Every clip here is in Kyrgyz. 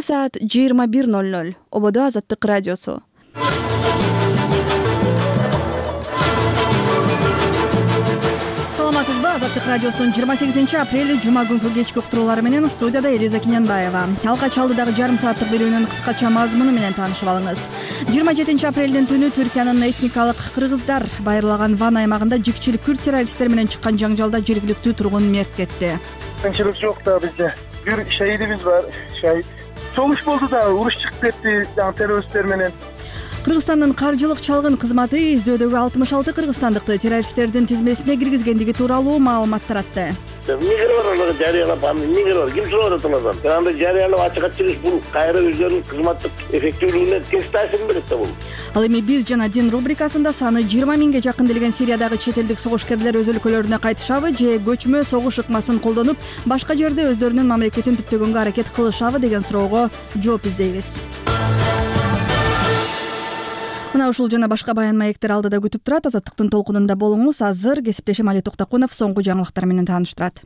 Саат 21:00. Ободо Азаттык радиосу. Саламатсызбы? Азаттык радиосунун 28 апрель жума күнкү кечки уктуруулары менен студияда Элиза Кинянбаева. Алгач алдыдагы жарым сааттык берүүнүн кыскача мазмуну менен таанышып алыңыз. 27 апрелдин түнү Түркиянын этникалык кыргыздар байырлаган Ван аймагында жикчил күрд террористтер менен чыккан жаңжалда жергиликтүү тургун мерт кетти. Кынчылык жок да бизде. Бир шаһидибиз бар, шаһид. Чогуш болду да, уруш чыгып кетти террористтер менен. Кыргызстандын каржылык чалгын кызматы издөөдөгү 66 кыргызстандыкты террористтердин тизмесине киргизгендиги тууралуу маалымат таратты. Эмне бар жарыялап, эмне бар? Ким сурап атат андан? Анда жарыялап ачыкка чыгыш бул кайра өздөрүнүн кызматтык эффективдүүлүгүнө терс таасирин берет да бул. Ал эми биз жана Дин рубрикасында саны 20 миңге жакын делген Сириядагы чет элдик согушкерлер өз өлкөлөрүнө кайтышабы же көчмө согуш ыкмасын колдонуп, башка жерде өздөрүнүн мамлекетин түптөгөнгө аракет кылышабы деген суроого жооп издейбиз. Мына ушул жана башка баян маектер алдыда күтүп турат. Азаттыктын толкунунда болуңуз. Азыр кесиптешим Али Токтокунов соңку жаңылыктар менен тааныштырат.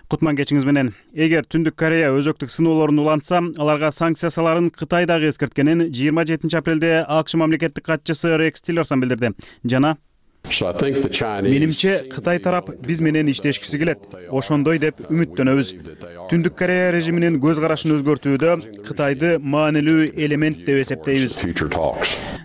Кутман кечиңиз менен. Эгер Түндүк Корея өзөктүк сыноолорун улантса, аларга санкция саларын Кытай дагы эскерткенин 27 апрелде АКШ мамлекеттик катчысы Рекс Тиллерсон билдирди. Жана менимче Кытай тарап биз менен иштешкиси келет. Ошондой деп үмүттөнөбүз. Түндүк Корея режиминин көз карашын өзгөртүүдө Кытайды маанилүү элемент деп эсептейбиз,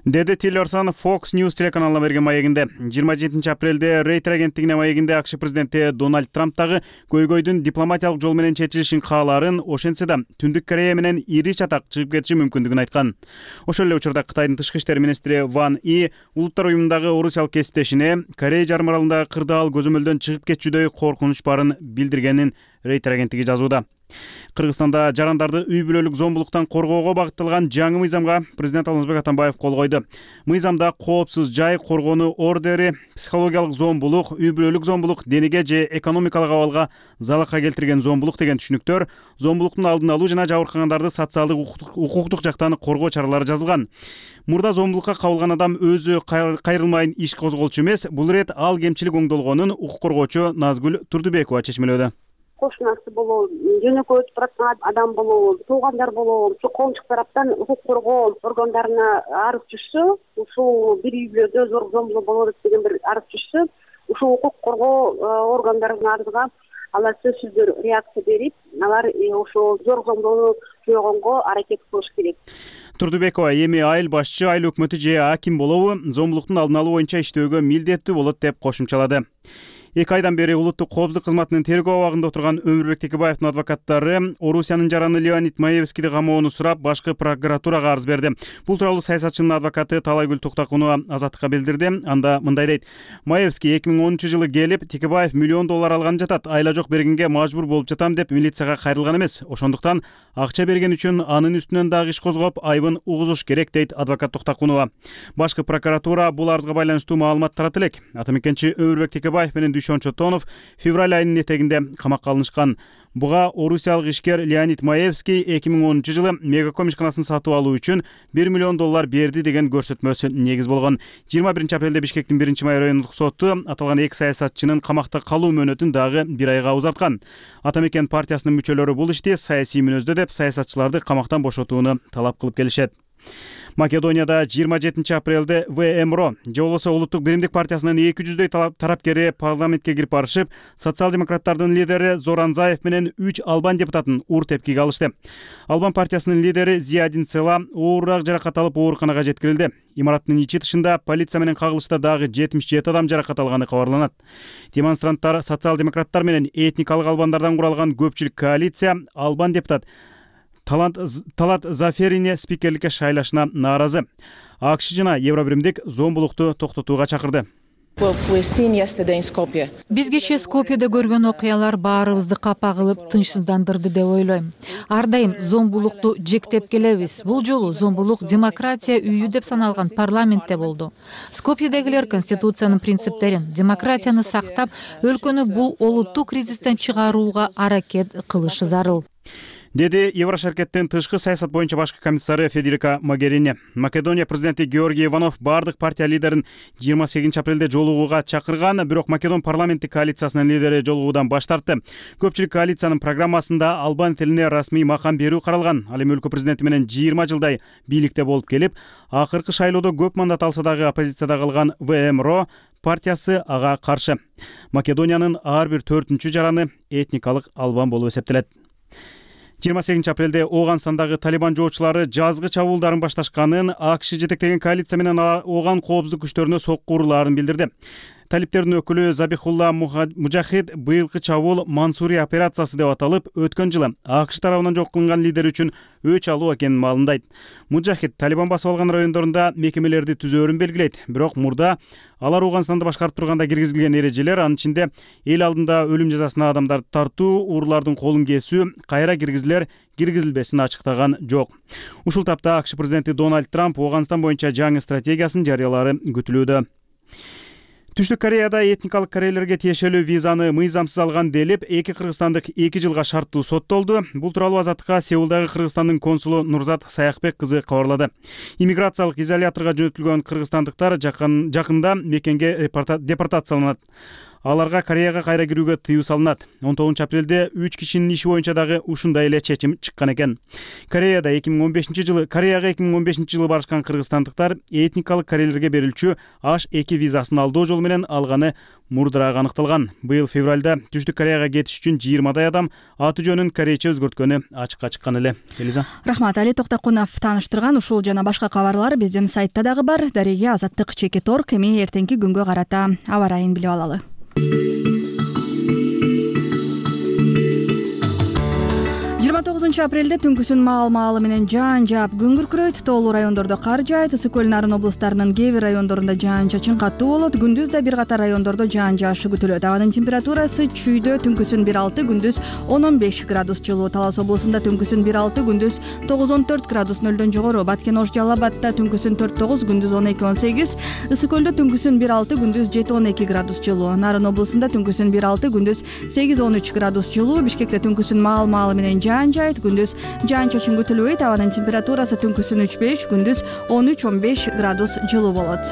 деди Тиллерсон Fox News телеканалына берген маегинде. 27 апрелде Рейтер агенттигине маегинде АКШ президенти Дональд Трамп дагы көйгөйдүн дипломатиялык жол менен чечилишин каалаарын, ошентсе да Түндүк Корея менен ири чатак чыгып кетиши мүмкүндүгүн айткан. Ошол эле учурда Кытайдын тышкы иштер министри Ван И улуттар уюмундагы орусиялык кесиптешине Корея жарым аралындагы кырдаал көзөмөлдөн чыгып кетчүдөй коркунуч барын билдиргенин Рейтер агенттиги жазууда. Кыргызстанда жарандарды үй бүлөлүк зомбулуктан коргоого багытталган жаңы мыйзамга президент Алмазбек Атамбаев кол койду. Мыйзамда коопсуз жай коргонуу ордери, психологиялык зомбулук, үй бүлөлүк зомбулук, денеге же экономикалык абалга залака келтирген зомбулук деген түшүнүктөр, зомбулуктун алдын алуу жана жабыркагандарды социалдык укуктук жактан коргоо чаралары жазылган. Мурда зомбулукка кабылган адам өзү кайрылмайын иш козголчу эмес, бул ирет ал кемчилик оңдолгонун укук коргоочу Назгүл Турдубекова чечмелөөдө. Кошунасы болобу, жөнөкөй өтүп бараткан адам болобу, туугандар болобу, ушу коомчулук тараптан укук коргоо органдарына арыз түшсө, ушул бир үй бүлөдө зорлук зомбулук болуп атат деген бир арыз түшсө, ушул укук коргоо органдарынын арызга алар сөзсүздөр реакция берип, алар ошол зорлук зомбулукту жойгонго аракет кылыш керек. Турдубекова эми айыл башчы, айыл өкмөтү же аким болобу зомбулуктун алдын алуу боюнча иштөөгө милдеттүү болот деп кошумчалады. 2 айдан бери улуттук коопсуздук кызматынын тергөө абагында отурган Өмүрбек Текебаевдин адвокаттары Орусиянын жараны Леонид Маевскийди камоону сурап, башкы прокуратурага арыз берди. Бул тууралуу саясатчынын адвокаты Талайгүл Токтокунова Азаттыкка билдирди. Анда мындай дейт: Маевский 2010 жылы келип, Текебаев $1 миллион алган жатат, айла жок бергенге мажбур болуп жатам деп милицияга кайрылган эмес. Ошондуктан акча берген үчүн анын үстүнөн дагы иш козгоп, айыбын угузуш керек, дейт адвокат Токтокунова. Башкы прокуратура бул арызга байланыштуу маалымат таратты элек. Атамекенчи Өмүрбек Текебаев менен Дүйшөнчү Тонов февраль айынын этегинде камакка алынышкан. Буга орусиялык ишкер Леонид Маевский 2010 жылы Мегаком ишканасын сатып алуу үчүн $1 миллион берди деген көрсөтмөсү негиз болгон. 21 апрелде Бишкектин 1-май райондук соту аталган эки саясатчынын камакта калуу мөөнөтүн дагы 1 айга узарткан. Атамекен партиясынын мүчөлөрү бул ишти саясий мүнөздө деп саясатчыларды камактан бошотууну талап кылып келишет. Македонияда 27 апрелде ВМРО же болбосо Улуттук биримдик партиясынын 200дөй тарапкери парламентке кирип барышып, социал-демократтардын лидери Зоран Заев менен 3 албан депутатын уур тепкиге алышты. Албан партиясынын лидери Зиядин Цела оорураак жаракат алып ооруканага жеткирилди. Имараттын ичи тышында полиция менен кагылышта дагы 77 адам жаракат алганы кабарланат. Демонстранттар социал-демократтар менен этникалык албандардан куралган көпчүлүк коалиция албан депутат Талат Заферине спикерликке шайлашына нааразы. АКШ жана Евробиримдик зомбулукту токтотууга чакырды. Биз кечээ Скопьеде көргөн окуялар баарыбызды капа кылып, тынчсыздандырды деп ойлойм. Ар дайым зомбулукту жектеп келебиз. Бул жолу зомбулук демократия үйү деп саналган парламентте болду. Скопьедегилер конституциянын принциптерин, демократияны сактап, өлкөнү бул олуттуу кризистен чыгарууга аракет кылышы зарыл. деди Еврошаркеттин тышкы саясат боюнча башкы комиссары Федерика Могерини. Македония президенти Георгий Иванов бардык партия лидерин 28 апрелде жолугууга чакырган, бирок Македон парламенттик коалициясынын лидери жолугуудан баш тартты. Көпчүлүк коалициянын программасында албан тилине расмий макам берүү каралган. Ал эми өлкө президенти менен 20 жылдай бийликте болуп келип, акыркы шайлоодо көп мандат алса дагы оппозицияда калган ВМРО партиясы ага каршы. Македониянын ар бир 4-чү жараны этникалык албан болуп эсептелет. 28 апрелде Ооганстандагы Талибан жоочулары жазгы чабуулдарын башташканын, АКШ жетектеген коалиция менен ооган коопсуздук күчтөрүнө сокку урууларын билдирди. Талиптердин өкүлү Забихулла Мужахид быйылкы чабуул Мансури операциясы деп аталып, өткөн жылы АКШ тарабынан жок кылынган лидер үчүн өч алуу экенин маалымдайт. Мужахид Талибан басып алган райондорунда мекемелерди түзөөрүн белгилейт, бирок мурда алар Ооганстанды башкарып турганда киргизилген эрежелер, анын ичинде эл алдында өлүм жазасына адамдарды тартуу, уруулардын колун кесүү, кайра киргизилбесин ачыктаган жок. Ушул тапта АКШ президенти Дональд Трамп Ооганстан боюнча жаңы стратегиясын жарыялары күтүлүүдө. Түштүк Кореяда этникалык корейлерге тиешелүү визаны мыйзамсыз алган делип, эки кыргызстандык 2 жылга шарттуу соттолду. Бул тууралуу Азаттыкка Сеулдагы Кыргызстандын консулу Нурзат Саякбек кызы кабарлады. Иммиграциялык изоляторго жөнөтүлгөн кыргызстандыктар жакында мекенге депортацияланат. Аларга Кореяга кайра кирүүгө тыюу салынат. 19 апрелде 3 кишинин иши боюнча дагы ушундай эле чечим чыккан экен. Кореяга 2015 жылы барышкан кыргызстандыктар этникалык корейлерге берилчү H2 визасын алдоо жолу менен алганы мурдураак аныкталган. Быйыл февралда Түштүк Кореяга кетиш үчүн 20 адам аты жөнүн корейче өзгөрткөнү ачыкка чыккан эле. Элиза. Рахмат, Али Токтокунов тааныштырган ушул жана башка кабарлар биздин сайтта дагы бар. Дареге Азаттык чекит орг. Эми эртеңки күнгө карата аба ырайын билип алалы. 29 апрелде түнкүсүн маал менен жаан жаап күн күркүрөйт. Тоолуу райондордо кар жаайт. Ысык көл Нарын облустарынын кээ бир райондорунда жаан-чачын катуу болот. Күндүз да бир катар райондордо жаан жаашы күтүлөт. Абанын температурасы чүйдө түнкүсүн 1-6, күндүз 10-15 градус жылуу. Талас облусунда түнкүсүн 1-6, күндүз 9-14 градус нөлдөн жогору. Баткен Ош Жалал Абадта түнкүсүн 4-9, күндүз 12-18. Ысык көлдө түнкүсүн 1-6, күндүз 7-12 градус жылуу. Нарын облусунда түнкүсүн 1-6, күндүз 8-13 градус жылуу. Бишкекте түнкүсүн маал менен жаан жаайт. Күндүз жаан-чачын күтүлбөйт. Абанын температурасы түнкүсүн 3-5, күндүз 13-15 градус жылуу болот.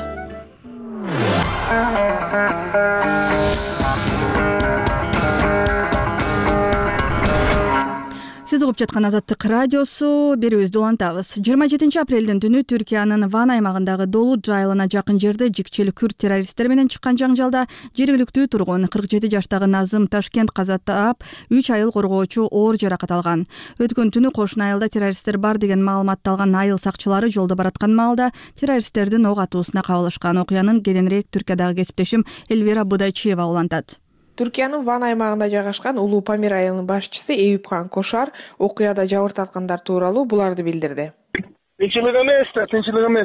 Сиз угуп жаткан Азаттык радиосу, берүүбүздү улантабыз. 27 апрелдин түнү Түркиянын Ван аймагындагы Долут жайылына жакын жерде жикчил күрд террористтер менен чыккан жаңжалда жергиликтүү тургун 47 жаштагы Назым Ташкент каза таап, 3 айыл коргоочу оор жаракат алган. Өткөн түнү кошуна айылда террористтер бар деген маалыматты алган айыл сакчылары жолдо бараткан маалда террористтердин ок атуусуна кабылышкан. Окуянын кененирээк Түркиядагы кесиптешим Эльвира Будайчиева улантат. Түркиянын Ван аймагында жайгашкан Улуу Памир айылынын башчысы Эюпхан Кошар окуяда жабыртаткандар тууралуу буларды билдирди. Тынччылык эмес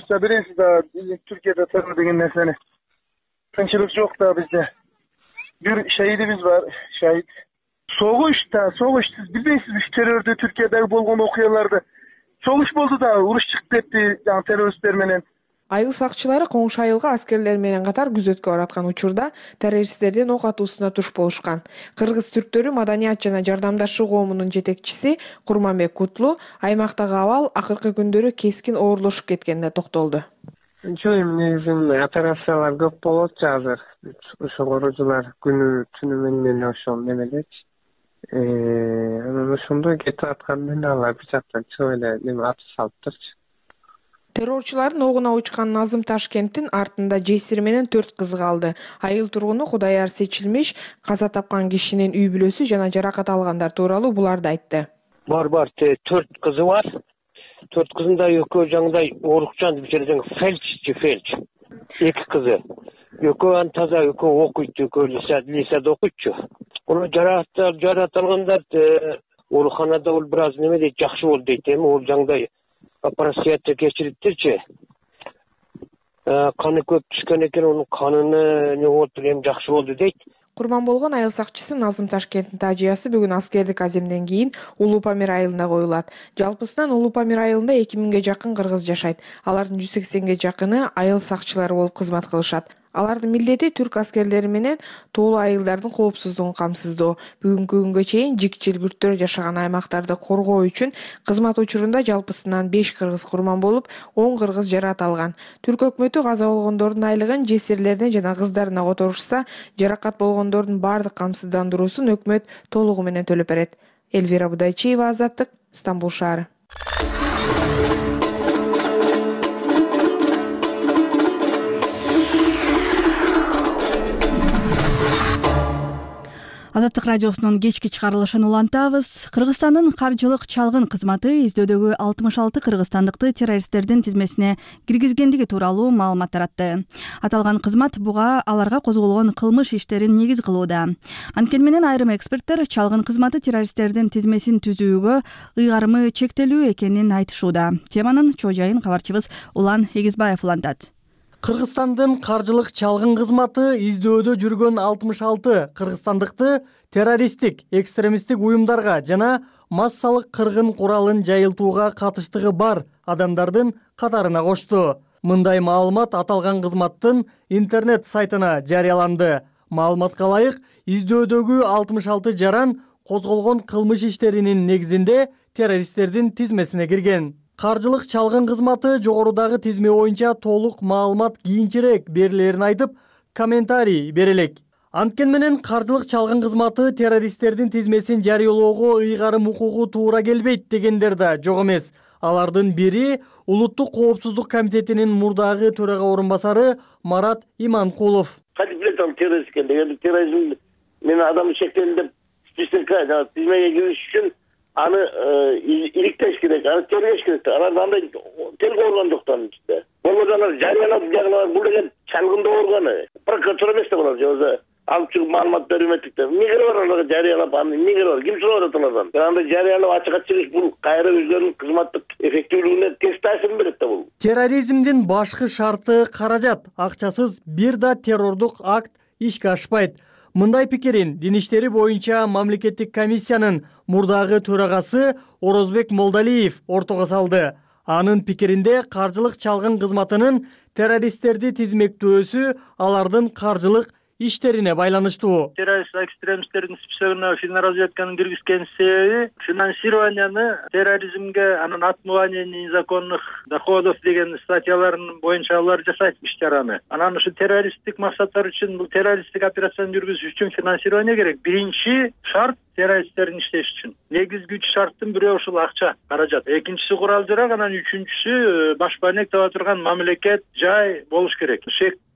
да, билесиз да, Түркияда террор деген нерсени. Тынччылык жок да бизде. Бир шаһидибиз бар, шаһид. Согуш, сиз билбейсизби террорду Түркиядагы болгон окуяларды? Согуш болду да, уруш чыгып кетти, жана террористтер менен. Айыл сакчылары коңшу айылга аскерлер менен катар күзөткө бараткан учурда террористтердин ок атуусуна туш болушкан. Кыргыз түрктөрү Маданият жана жардамдашуу коомунун жетекчиси Курманбек Кутлу аймактагы абал акыркы күндөрү кескин оорлошуп кеткенине токтолду. Негизинен операциялар көп болот азыр. Ошо корожулар күнү түнү менен ошол немелечи. Анан ошондой кетип аткандан алар бир жактан чыгып эле неме аты салыптырчы. Террорчулардын огуна учкан Назым Ташкенттин артында жесири менен 4 кызы калды. Айыл тургуну Кудаяр Сечилмиш каза тапкан кишинин үй бүлөсү жана жаракат алгандар тууралуу буларды айтты. Бар, 4 кызы бар. 4 кызында экөө жаңдай оорукчан жерден фельч. 2 кызы. Экөө таза, экөө окуйт, экөө лисада окуйчу. Уну жаракат алгандар ооруканада ол бир аз неме дейт, жакшы болду дейт, эми ол жаңдай операцияны кечириптирчи. Каны көп түшкөн экен, онун каныны не болду, эми жакшы болду дейт. Курман болгон айыл сакчысы Назым Ташкенттин тажыясы бүгүн аскердик аземден кийин Улуу Памир айылына коюлат. Жалпысынан Улуу Памир айылында 2000ге жакын кыргыз жашайт. Алардын 180ге жакыны айыл сакчылары болуп кызмат кылышат. Алардын милдети түрк аскерлери менен тоолуу айылдардын коопсуздугун камсыздоо. Бүгүнкү күнгө чейин жикчил күрттөр жашаган аймактарды коргоо үчүн кызмат учурунда жалпысынан 5 кыргыз курман болуп, 10 кыргыз жаракат алган. Түрк өкмөтү каза болгондордун айлыгын жесирлерине жана кыздарына которушса, жаракат болгондордун баардык камсыздандыруусун өкмөт толугу менен төлөп берет. Элвира Будайчиева, Азаттык, Стамбул шаары. Азаттык радиосунун кечки чыгарылышын улантабыз. Кыргызстандын каржылык чалгын кызматы издөөдөгү 66 кыргызстандыкты террористтердин тизмесине киргизгендиги тууралуу маалымат таратты. Аталган кызмат буга аларга козголгон кылмыш иштерин негиз кылууда. Анткени менен айрым эксперттер чалгын кызматы террористтердин тизмесин түзүүгө ыйгарымы чектелүү экенин айтышууда. Теманын чоо жайын кабарчыбыз Улан Эгизбаев улантат. Кыргызстандын каржылык чалгын кызматы издөөдө жүргөн 66 кыргызстандыкты террористтик, экстремисттик уюмдарга жана массалык кыргын куралын жайылтууга катыштыгы бар адамдардын катарына кошту. Мындай маалымат аталган кызматтын интернет сайтына жарыяланды. Маалыматка ылайык, издөөдөгү 66 жаран козголгон кылмыш иштеринин негизинде террористтердин тизмесине кирген. Каржылык чалгын кызматы жогорудагы тизме боюнча толук маалымат кийинчерээк берилерин айтып, комментарий берелек. Анткени менен каржылык чалгын кызматы террористтердин тизмесин жарыялоого ыйгарым укугу туура келбейт дегендер да жок эмес. Алардын бири Улуттук коопсуздук комитетинин мурдагы төрага орун басары Марат Иманкулов. Кантип билет ал террорист экендигин, терроризм менен адам шектелди деп списокко тизмеге кириш үчүн аны иликтеш керек, аны тергеш керек. Алар андай тергөө орган жоктан ичинде. Болбосо алар жарыялап жагылар, бул деген чалгындоо органы. Прокуратура эмес да булар, же алып чыгып маалымат берүү эметтик да. Эмне кереги бар аларга жарыялап, аны эмне кереги бар? Ким сурап атат алардан? Андай жарыялап ачыкка чыгыш бул кайра өздөрүнүн кызматтык эффективдүүлүгүнө терс таасир берет да бул. Терроризмдин башкы шарты каражат. Акчасыз бир да террордук акт ишке ашпайт. Мындай пикирин Дин иштери боюнча мамлекеттик комиссиянын мурдагы төрагасы Орозбек Молдалиев ортого салды. Анын пикиринде каржылык чалгын кызматынын террористтерди тизмектөөсү алардын каржылык иштерине байланыштуу. Террорист экстремисттердин списогуна финразведканын киргизген себеби финансированияны терроризмге, анан отмывание незаконных доходов деген статьяларын боюнча алар жасайт ишчараны. Анан ушу террористтик максаттар үчүн, бул террористтик операцияны жүргүзүш үчүн финансирование керек. Биринчи шарт террористтердин иштеш үчүн. Негизги 3 шарттын бири ушул акча, каражат. Экинчиси курал-жарак, анан үчүнчүсү баш байнек таба турган мамлекет, жай болуш керек.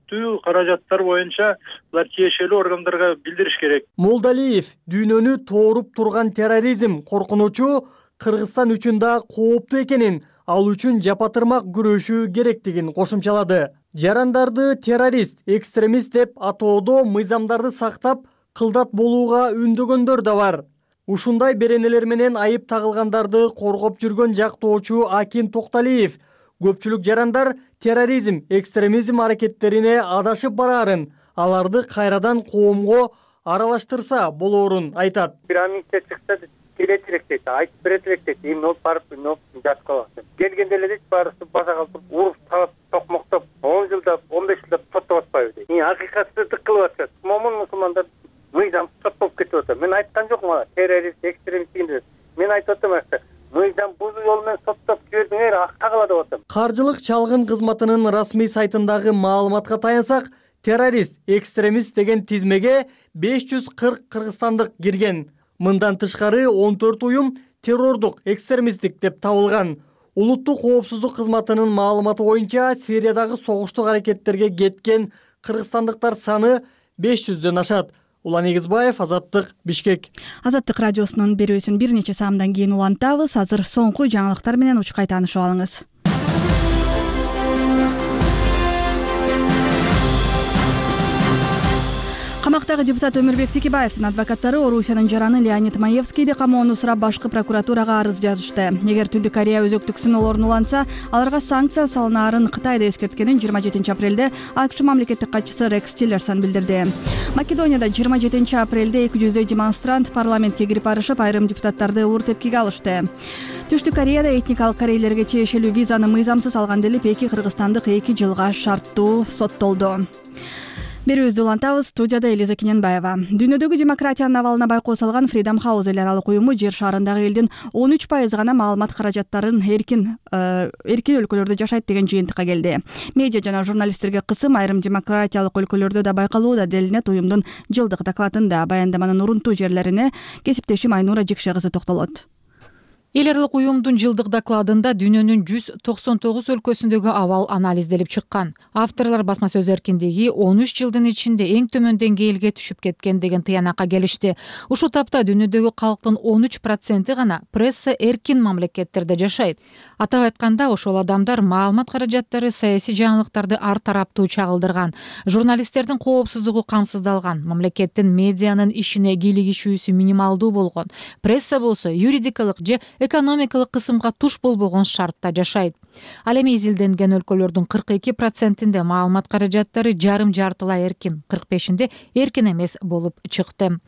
Каражаттар боюнча булар тиешелүү органдарга билдириш керек. Молдалиев дүйнөнү тооруп турган терроризм коркунучу Кыргызстан үчүн да кооптуу экенин, ал үчүн жапатырмак күрөшүү керектигин кошумчалады. Жарандарды террорист, экстремист деп атоодо мыйзамдарды сактап, кылдат болууга үндөгөндөр да бар. Ушундай беренелер менен айып тагылгандарды коргоп жүргөн жактоочу Акин Токталиев көпчүлүк жарандар терроризм, экстремизм аракеттерине адашып бараарын, аларды кайрадан коомго аралаштырса болоорун айтат. Пирамидке чыкса келет элек дейт, айтып берет элек дейт, эмне болуп барып, эмне болуп жаткан. Келгенде эле дейт, баарысы башага туруп, уруп, тагып, токмоктоп, 10 жылдап, 15 жылдап соттоп атпайбы дейт. Акыйкатсыздык кылып атышат. Момун мусулмандар мыйзам соттоп кетип атат. Мен айткан жокмун, террорист, экстремист дегенде. Мен айтып атам акча. Мыйзам бузуу жолу менен соттоп жибердиңер, акка калат деп атам. Каржылык чалгын кызматынын расмий сайтындагы маалыматка таянсак, террорист, экстремист деген тизмеге 540 кыргызстандык кирген. Мындан тышкары 14 уюм террордук, экстремисттик деп табылган. Улуттук коопсуздук кызматынын маалыматы боюнча Сириядагы согуштук аракеттерге кеткен кыргызстандыктар саны 500дөн ашат. Улан Эгизбаев, Азаттык, Бишкек. Азаттык радиосунун берүүсүн бир нече саамдан кийин улантабыз. Азыр соңку жаңылыктар менен учкай таанышып алыңыз. Камактагы депутат Өмүрбек Текебаевдин адвокаттары Орусиянын жараны Леонид Маевскийди камоону сурап башкы прокуратурага арыз жазышты. Эгер Түндүк Корея өзөктүк сыноолорун улантса, аларга санкция салынаарын Кытайда эскерткенин 27 апрелде АКШ мамлекеттик катчысы Рекс Тиллерсон билдирди. Македонияда 27 апрелде 200 демонстрант парламентке кирип барышып, айрым депутаттарды уур тепкиге алышты. Түштүк Кореяда этникалык корейлерге тиешелүү визаны мыйзамсыз алган делип 2 кыргызстандык 2 жылга шарттуу соттолду. Берүүбүздү улантабыз. Студияда Элиза Киненбаева. Дүйнөдөгү демократиянын абалына байкоо салган Freedom House эл аралык уюму жер шарындагы элдин 13% гана маалымат каражаттарын эркин өлкөлөрдө жашайт деген жыйынтыкка келди. Медиа жана журналисттерге кысым айрым демократиялык өлкөлөрдө да байкалууда делинет уюмдун жылдык докладында. Баяндаманын урунтуу жерлерине кесиптешим Айнура Жикше кызы токтолот. Эл аралык уюмдун жылдык докладында дүйнөнүн 199 өлкөсүндөгү абал анализделип чыккан. Авторлор басма сөз эркиндиги 13 жылдын ичинде эң төмөн деңгээлге түшүп кеткен деген тыянакка келишти. Ушул тапта дүйнөдөгү калктын 13% гана пресса эркин мамлекеттерде жашайт. Атап айтканда, ошол адамдар маалымат каражаттары саясий жаңылыктарды ар тараптуу чагылдырган, журналисттердин коопсуздугу камсыздалган, мамлекеттин медианын ишине кийлигишүүсү минималдуу болгон, пресса болсо юридикалык же экономикалык кысымга туш болбогон шартта жашайт. Ал эми изилденген өлкөлөрдүн 42%-инде маалымат каражаттары жарым-жартылай эркин, 45-инде эркин эмес болуп чыкты.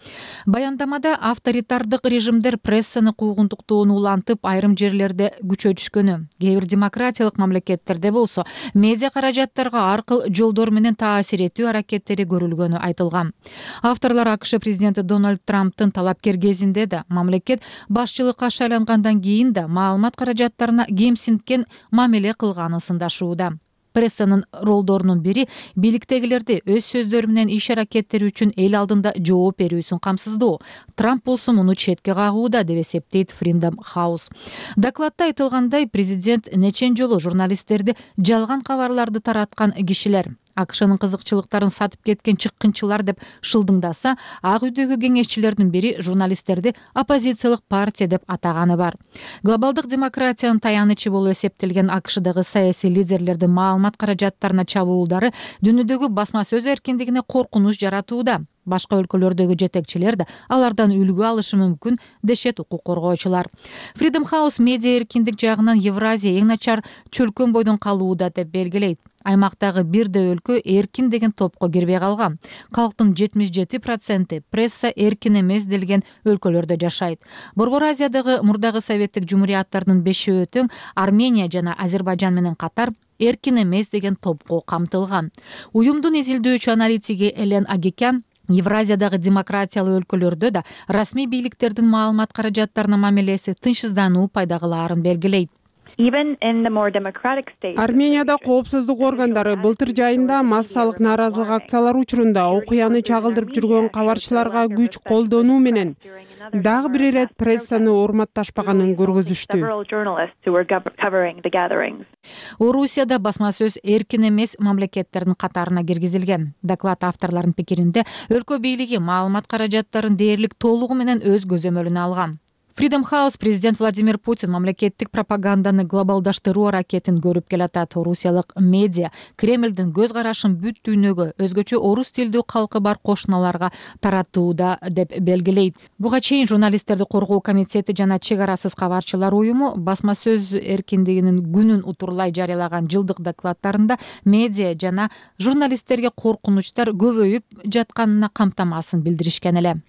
Баяндамада авторитардык режимдер прессаны куугунтуктоону улантып, айрым жерлерде күчөтүшкөнү, кээ бир демократиялык мамлекеттерде болсо медиа каражаттарга ар кыл жолдор менен таасир этүү аракеттери көрүлгөнү айтылган. Авторлор АКШ президенти Дональд Трамптын талапкер кезинде да, мамлекет башчылыкка шайлангандан кийин да маалымат каражаттарына кемсинткен мамиле кылганы сындашууда. Прессанын ролдорунун бири бийликтегилерди өз сөздөрү менен иш аракеттери үчүн эл алдында жооп берүүсүн камсыздоо. Трамп болсо муну четке кагууда деп эсептейт Freedom House. Докладда айтылгандай, президент нечен жолу журналисттерди жалган кабарларды тараткан кишилер, АКШнын кызыкчылыктарын сатып кеткен чыккынчылар деп шылдыңдаса, Ак үйдөгү кеңешчилердин бири журналисттерди оппозициялык партия деп атаганы бар. Глобалдык демократиянын таянычы болуп эсептелген АКШдагы саясий лидерлердин маалымат каражаттарына чабуулдары дүйнөдөгү басма сөз эркиндигине коркунуч жаратууда. Башка өлкөлөрдөгү жетекчилер да алардан үлгү алышы мүмкүн, дешет укук коргоочулар. Freedom House медиа эркиндик жагынан Евразия эң начар чөлкөн бойдон калууда деп белгилейт. Аймактагы бирде өлкө эркин деген топко кирбей калган. Калктын 77% пресса эркин эмес делген өлкөлөрдө жашайт. Борбор Азиядагы мурдагы советтик жумурияттардын 5-өө тең Армения жана Азербайжан менен катар эркин эмес деген топко камтылган. Уюмдун изилдөөчү аналитиги Элен Агикян Евразиядагы демократиялуу өлкөлөрдө да расмий бийликтердин маалымат каражаттарына мамилеси тынчсыздануу пайда кылаарын белгилейт. Арменияда коопсуздук органдары былтыр жайында массалык нааразылык акциялары учурунда окуяны чагылдырып жүргөн кабарчыларга күч колдонуу менен дагы бир ирет прессаны урматташпаганын көргөзүштү. Орусияда басма сөз эркин эмес мамлекеттердин катарына киргизилген. Доклад авторлорунун пикиринде өлкө бийлиги маалымат каражаттарын дээрлик толугу менен өз көзөмөлүнө алган. Freedom House президент Владимир Путин мамлекеттик пропаганданы глобалдаштыруу аракетин көрүп келатат. Орусиялык медиа Кремлдин көз карашын бүт дүйнөгө, өзгөчө орус тилдүү калкы бар кошуналарга таратууда деп белгилейт. Буга чейин журналисттерди коргоо комитети жана чек арасыз кабарчылар уюму басма сөз эркиндигинин күнүн утурлай жарыялаган жылдык докладдарында медиа жана журналисттерге коркунучтар көбөйүп жатканына камтамасын билдиришкен эле.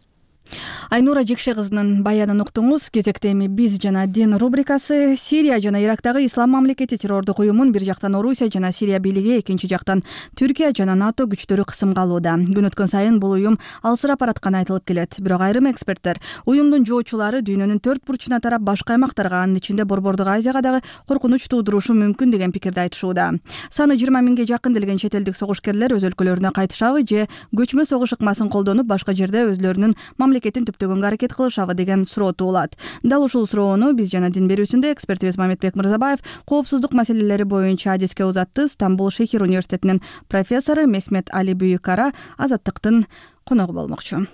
Айнура Жикше кызынын баянын уктуңуз. Кезекте эми биз жана дин рубрикасы. Сирия жана Ирактагы ислам мамлекети террордук уюмун бир жактан Орусия жана Сирия бийлиги, экинчи жактан Түркия жана НАТО күчтөрү кысымга алууда. Күн өткөн сайын бул уюм алсырап баратканы айтылып келет. Бирок айрым эксперттер уюмдун жоочулары дүйнөнүн 4 бурчуна тарап башка аймактарга, анын ичинде Борбордук Азияга дагы коркунуч туудурушу мүмкүн деген пикирди айтышууда. Саны 20 миңге жакын делген чет элдик согушкерлер өз өлкөлөрүнө кайтышабы же көчмө согуш ыкмасын колдонуп башка жерде өзлөрүнүн мамлекетин түптөгөнгө аракет кылышабы деген суроо туулат. Дал ушул суроону биз жана дин берүүсүндө экспертибиз Мамедбек Мырзабаев коопсуздук маселелери боюнча адиске узатты. Стамбул Шейхир университетинин профессору Мехмет Али Бүйүкара Азаттыктын коногу болмокчу.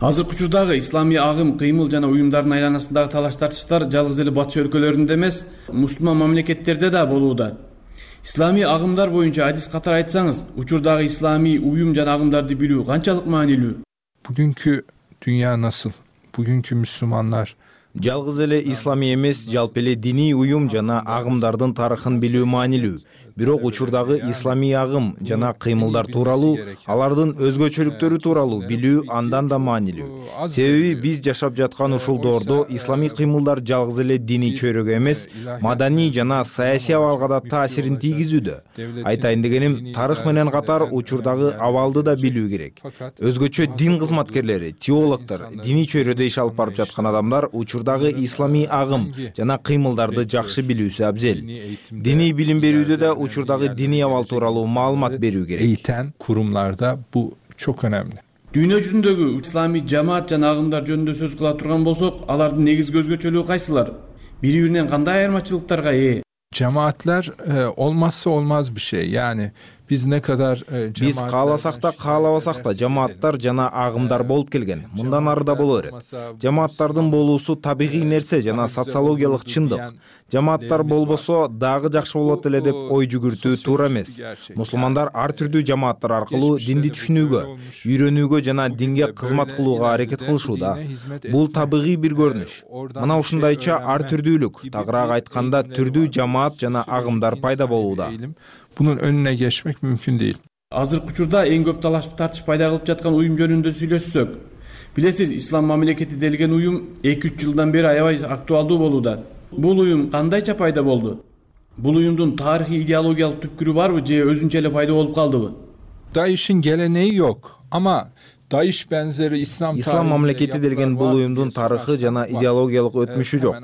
Азыркы учурдагы исламий агым, кыймыл жана уюмдардын айланасындагы талаш-тартыштар жалгыз эле батыш өлкөлөрүндө эмес, мусулман мамлекеттерде да болууда. Исламий агымдар боюнча адис катары айтсаңыз, учурдагы исламий уюм жана агымдарды билүү канчалык маанилүү? Бүгүнкү дүйнө насыл? Бүгүнкү мусулмандар жалгыз эле исламий эмес, жалпы эле диний уюм жана агымдардын тарыхын билүү маанилүү. Бирок учурдагы исламий агым жана кыймылдар тууралуу, алардын өзгөчөлүктөрү тууралуу билүү андан да маанилүү. Себеби биз жашап жаткан ушул доордо исламий кыймылдар жалгыз эле диний чөйрөгө эмес, маданий жана саясий абалга да таасирин тийгизүүдө. Айтайын дегеним, тарых менен катар учурдагы абалды да билүү керек. Өзгөчө дин кызматкерлери, теологдор, диний чөйрөдө иш алып барып жаткан адамдар учурдагы исламий агым жана кыймылдарды жакшы билүүсү абзел. Диний билим берүүдө да учурдагы диний абал тууралуу маалымат берүү керек. Eğiten kurumlarda bu çok önemli. Дүйнө жүзүндөгү исламий жамаат жана агымдар жөнүндө сөз кыла турган болсок, алардын негизги өзгөчөлүгү кайсылар? Бири-биринен кандай айырмачылыктарга ээ? Cemaatler olmazsa olmaz bir şey. Yani biz ne kadar биз кааласак да каалабасак да жамааттар жана агымдар болуп келген. Мындан ары да боло берет. Жамааттардын болуусу табигый нерсе жана социологиялык чындык. Жамааттар болбосо дагы жакшы болот эле деп ой жүгүртүү туура эмес. Мусулмандар ар түрдүү жамааттар аркылуу динди түшүнүүгө, үйрөнүүгө жана динге кызмат кылууга аракет кылышууда. Бул табигый бир көрүнүш. Мына ушундайча ар түрдүүлүк, тагыраак айтканда түрдүү жамаат жана агымдар пайда болууда. Bunun önüne geçmek mümkün değil. Азыркы учурда эң көп талашып тартыш пайда кылып жаткан уюм жөнүндө сүйлөшсөк, билесиз, ислам мамлекети делген уюм 2-3 жылдан бери аябай актуалдуу болууда. Бул уюм кандайча пайда болду? Бул уюмдун тарыхый идеологиялык түпкүрү барбы же өзүнчө эле пайда болуп калдыбы? DAEŞ'in geleneği yok ama DAEŞ benzeri İslam мамлекети делген бул уюмдун тарыхы жана идеологиялык өтмүшү жок.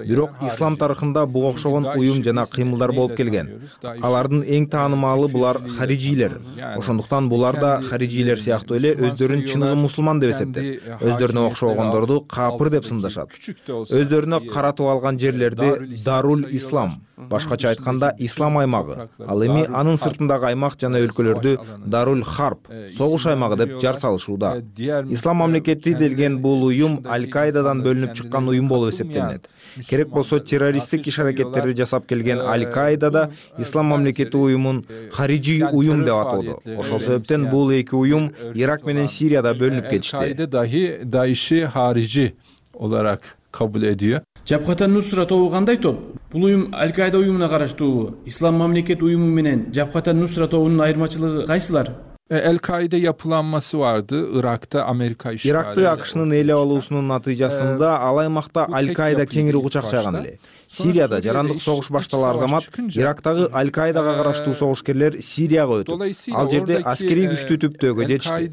Бирок ислам тарыхында буга окшогон уюм жана кыймылдар болуп келген. Алардын эң таанымалы булар харижилер. Ошондуктан булар да харижилер сыяктуу эле өздөрүн чыныгы мусулман деп эсептеп, өздөрүнө окшогондорду капыр деп сындашат. Өздөрүнө каратып алган жерлерди Дарул Ислам, башкача айтканда ислам аймагы, ал эми анын сыртындагы аймак жана өлкөлөрдү Дарул Харп, согуш аймагы деп жар салышууда. Ислам мамлекети делген бул уюм Аль-Каидадан бөлүнүп чыккан уюм болуп эсептелет. Керек болсо террористтик иш-аракеттерди жасап келген Аль-Каида да ислам мамлекети уюмун хариджи уюм деп атоодо. Ошол себептен бул эки уюм Ирак менен Сирияда бөлүнүп кетишти. Al-Kaide dahi DAEŞ'i harici olarak kabul ediyor. Жабхата Нусра тобу кандай топ? Бул уюм Аль-Каида уюмуна караштуубу? Ислам мамлекет уюму менен Жабхата Нусра тобунун айырмачылыгы кайсылар? El-Kaide yapılanması vardı. Irak'ta Amerika işgali. Иракты АКШнын ээлеп алуусунун натыйжасында ал аймакта Аль-Каида кеңири кучак жайган эле. Сирияда жарандык согуш башталар замат Ирактагы Аль-Каидага караштуу согушкерлер Сирияга өтүп, ал жерде аскерий күчтүү түптөөгө жетишти.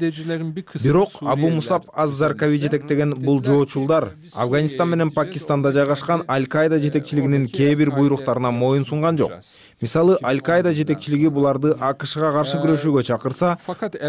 Бирок Абу Мусаб аз-Заркави жетектеген бул жоочулдар Афганистан менен Пакистанда жайгашкан Аль-Каида жетекчилигинин кээ бир буйруктарына моюн сунган жок. Мисалы, Аль-Каида жетекчилиги буларды АКШга каршы күрөшүүгө чакырса,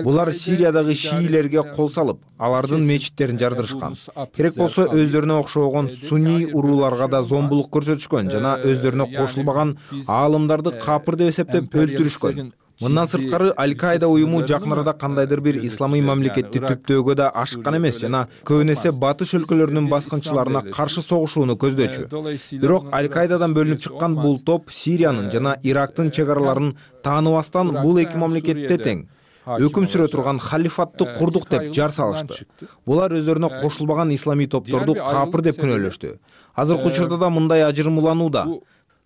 булар Сириядагы шиилерге кол салып, алардын мечиттерин жардырышкан. Керек болсо өздөрүнө окшогон сунний урууларга да зомбулук көрсөтүшкөн жана өздөрүнө кошулбаган аалымдарды капыр деп эсептеп өлтүрүшкөн. Мындан сырткары Аль-Каида уюму жакын арада кандайдыр бир исламий мамлекетти түптөөгө да ашыккан эмес жана көбүн эсе батыш өлкөлөрүнүн баскынчыларына каршы согушууну көздөчү. Бирок Аль-Каидадан бөлүнүп чыккан бул топ Сириянын жана Ирактын чек араларын тааныбастан бул эки мамлекетте тең өкүм сүрө турган халифатты курдук деп жар салышты. Булар өздөрүнө кошулбаган исламий топторду капыр деп күнөөлөштү. Азыркы учурда да мындай ажырым уланууда.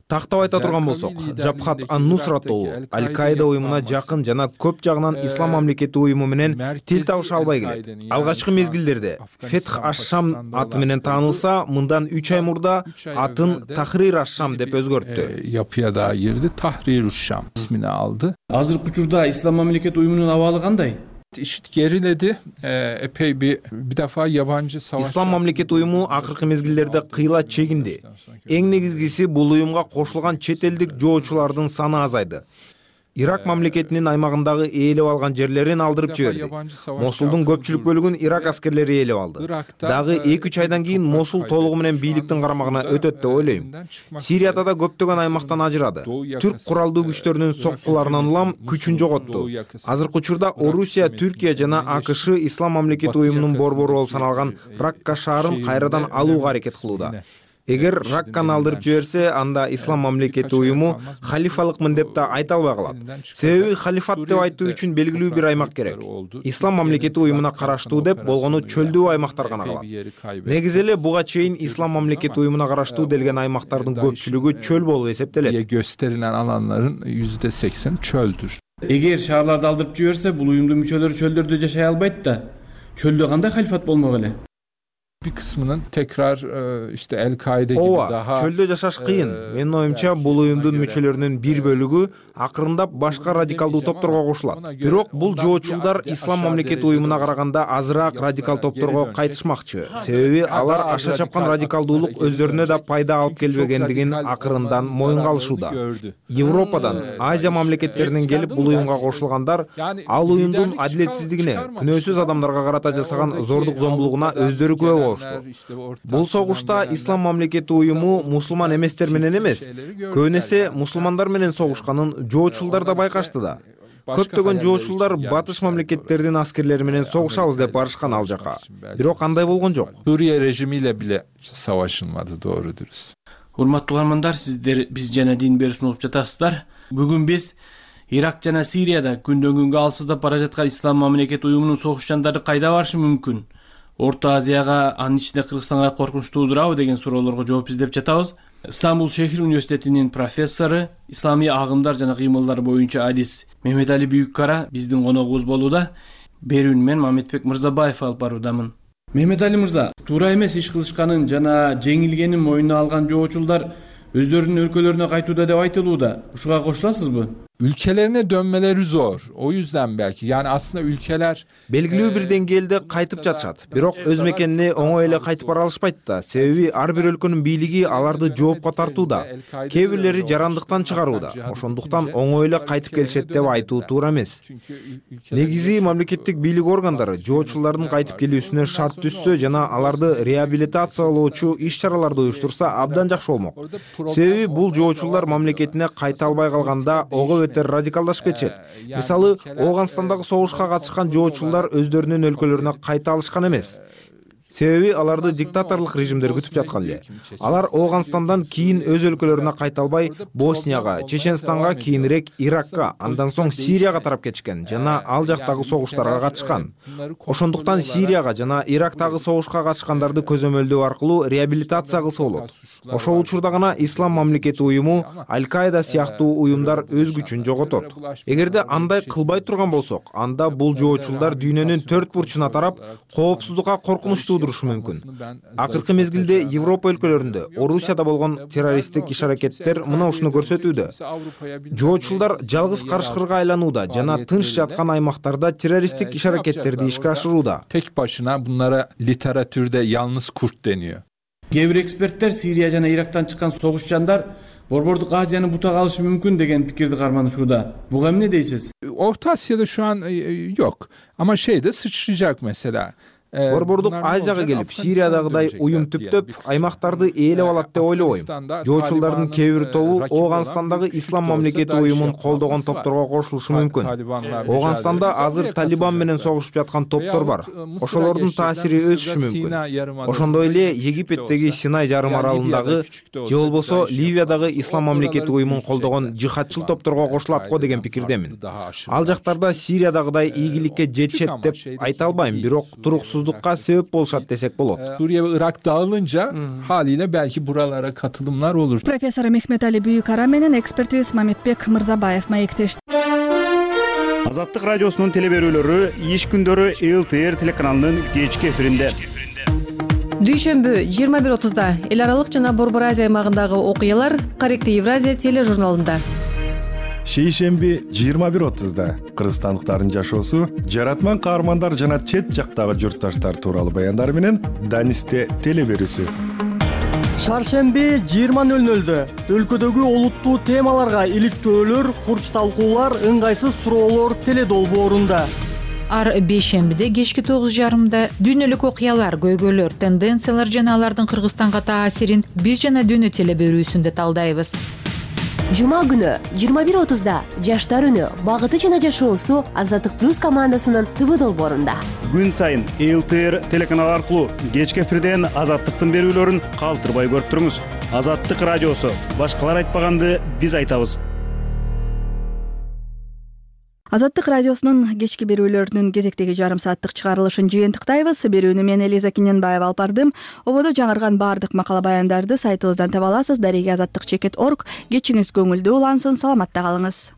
Тактап айта турган болсок, Жабхат ан-Нусра тобу Аль-Каида уюмуна жакын жана көп жагынан ислам мамлекети уюму менен тил табыша албай келет. Алгачкы мезгилдерде Фетх аш-Шам аты менен таанылса, мындан 3 ай мурда атын Тахрир аш-Шам деп өзгөрттү. Yapıya da girdi. Tahrir аш-Şam ismini aldı. Азыркы учурда ислам мамлекети уюмунун абалы кандай? IŞİD geriledi. Epey bir defa yabancı savaş. İslam мамлекети уюму акыркы мезгилдерде кыйла чегинди. Эң негизгиси бул уюмга кошулган чет элдик жоочулардын саны азайды. Ирак мамлекетинин аймагындагы ээлеп алган жерлерин алдырып жиберди. Мосулдун көпчүлүк бөлүгүн Ирак аскерлери ээлеп алды. Дагы 2-3 айдан кийин Мосул толугу менен бийликтин карамагына өтөт деп ойлойм. Сирияда да көптөгөн аймактан ажырады. Түрк куралдуу күчтөрүнүн соккуларынан улам күчүн жоготту. Азыркы учурда Орусия, Түркия жана АКШ ислам мамлекети уюмунун борбору болуп саналган Ракка шаарын кайрадан алууга аракет кылууда. Эгер Ракканы алдырып жиберсе, анда ислам мамлекети уюму халифалыкмын деп да айта албай калат. Себеби халифат деп айтуу үчүн белгилүү бир аймак керек. Ислам мамлекети уюмуна караштуу деп болгону чөлдүү аймактар гана калат. Негизи эле буга чейин ислам мамлекети уюмуна караштуу делген аймактардын көпчүлүгү чөл болуп эсептелет. Gösterilen alanların %80 çöldür. Эгер шаарларды алдырып жиберсе, бул уюмдун мүчөлөрү чөлдөрдө жашай албайт да. Çölde кандай халифат болмок эле? Bir kısmının tekrar işte El-Kaide gibi daha çölde жашаш кыйын. Менин оюмча, бул уюмдун мүчөлөрүнүн бир бөлүгү акырындап башка радикалдуу топторго кошулат. Бирок бул жоочулдар ислам мамлекети уюмуна караганда азыраак радикал топторго кайтышмакчы. Себеби алар аша чапкан радикалдуулук өздөрүнө да пайда алып келбегендигин акырындан моюнга алышууда. Европадан, Азия мамлекеттеринен келип бул уюмга кошулгандар ал уюмдун адилетсиздигине, күнөөсүз адамдарга карата жасаган зордук зомбулугуна өздөрү күбө болушту. Бул согушта ислам мамлекети уюму мусулман эместер менен эмес, көбүн эсе мусулмандар менен согушканын жоочулдар да байкашты да. Көптөгөн жоочулдар батыш мамлекеттердин аскерлери менен согушабыз деп барышкан ал жака. Бирок андай болгон жок. Suriye rejimiyle bile savaşılmadı, doğru dürüst. Урматтуу угармандар, сиздер биз жана дин берүүсүн угуп жатасыздар. Бүгүн биз Ирак жана Сирияда күндөн күнгө алсыздап бара жаткан ислам мамлекети уюмунун согушчандары кайда барышы мүмкүн? Орто Азияга, анын ичинде Кыргызстанга коркунуч туудурабы деген суроолорго жооп издеп жатабыз. Стамбул шехир университетинин профессору, исламий агымдар жана кыймылдар боюнча адис Мехметали Бүйүккара биздин коногубуз болууда. Берүүнү мен Мамедбек Мырзабаев алып баруудамын. Мехметали мырза, туура эмес иш кылышканын жана жеңилгенин мойнуна алган жоочулдар өздөрүнүн өлкөлөрүнө кайтууда деп айтылууда. Ушуга кошуласызбы? Ülkelerine dönmeleri zor. O yüzden belki. Yani aslında ülkeler белгилүү бир деңгээлде кайтып жатышат. Бирок өз мекенине оңой эле кайтып бара алышпайт да. Себеби ар бир өлкөнүн бийлиги аларды жоопко тартууда. Кээ бирлери жарандыктан чыгарууда. Ошондуктан оңой эле кайтып келишет деп айтуу туура эмес. Негизи мамлекеттик бийлик органдары жоочулардын кайтып келүүсүнө шарт түзсө жана аларды реабилитациялоочу иш-чараларды уюштурса абдан жакшы болмок. Себеби бул жоочулар мамлекетине кайта албай калганда радикалдашып кетишет. Мисалы, Ооганстандагы согушка катышкан жоочулар өздөрүнүн өлкөлөрүнө кайта алышкан эмес. Себеби аларды диктаторлук режимдер күтүп жаткан эле. Алар Ооганстандан кийин өз өлкөлөрүнө кайта албай, Боснияга, Чеченстанга, кийинирээк Иракка, андан соң Сирияга тарап кетишкен жана ал жактагы согуштарга катышкан. Ошондуктан Сирияга жана Ирактагы согушка катышкандарды көзөмөлдөө аркылуу реабилитация кылса болот. Ошол учурда гана ислам мамлекети уюму, Аль-Каида сыяктуу уюмдар өз күчүн жоготот. Эгерде андай кылбай турган болсок, анда бул жоочулдар дүйнөнүн төрт бурчуна тарап, коопсуздукка коркунучтуу турушу мүмкүн. Акыркы мезгилде Европа өлкөлөрүндө, Орусияда болгон террористтик иш-аракеттер мына ушуну көрсөтүүдө. Жоочулдар жалгыз карышкырга айланууда жана тынч жаткан аймактарда террористтик иш-аракеттерди ишке ашырууда. Tek başına bunlara literatürde yalnız kurt deniyor. Кээ бир эксперттер Сирия жана Ирактан чыккан согушчандар Борбордук Азияны бутак алышы мүмкүн деген пикирди карманышууда. Буга эмне дейсиз? Orta Asya'da şu an yok. Ama şeyde sıçrayacak mesela. Борбордук Азияга келип, Сириядагыдай уюм түптөп, аймактарды ээлеп алат деп ойлобойм. Жоочулдардын кээ бир тобу Ооганстандагы ислам мамлекети уюмун колдогон топторго кошулушу мүмкүн. Ооганстанда азыр Талибан менен согушуп жаткан топтор бар. Ошолордун таасири өсүшү мүмкүн. Ошондой эле Египеттеги Синай жарым аралындагы же болбосо Ливиядагы ислам мамлекети уюмун колдогон жихадчыл топторго кошулат го деген пикирдемин. Ал жактарда Сириядагыдай ийгиликке жетишет деп айта албайм, бирок туруксуздукка sebep болушат десек болот. Suriye ve Irak dağılınca haliyle belki buralara katılımlar olur. Профессор Мехметали Бүйүккара менен экспертибиз Мамедбек Мырзабаев маектешти. Азаттык радиосунун телеберүүлөрү иш күндөрү ЛТР телеканалынын кечки эфиринде. Дүйшөмбү 21:30да эл аралык жана Борбор Азия аймагындагы окуялар Корректив Евразия тележурналында. Шейшемби 21:30да кыргызстандыктардын жашоосу, жаратман каармандар жана чет жактагы журтташтар тууралуу баяндар менен Данисте телеберүүсү. Шаршемби 20:00дө өлкөдөгү олуттуу темаларга иликтөөлөр, курч талкуулар, ыңгайсыз суроолор теледолбоорунда. Ар бейшембиде кечки 9:30да дүйнөлүк окуялар, көйгөйлөр, тенденциялар жана алардын Кыргызстанга таасирин биз жана дүйнө телеберүүсүндө талдайбыз. Жума күнү 21:30 Жаштар үнү багыты жана жашоосу Азаттык плюс командасынын ТВ долбоорунда. Күн сайын ЛТР телеканалы аркылуу кечки эфирден Азаттыктын берүүлөрүн калтырбай көрүп туруңуз. Азаттык радиосу. Башкалар айтпаганды биз айтабыз. Азаттык радиосунун кечки берүүлөрүнүн кезектеги жарым сааттык чыгарылышын жыйынтыктайбыз. Берүүнү мен Элиза Киненбаева алып бардым. Ободо жаңырган баардык макала баяндарды сайтыбыздан таба аласыз. Дареги азаттык.org. Кечиңиз көңүлдүү улансын, саламатта калыңыз.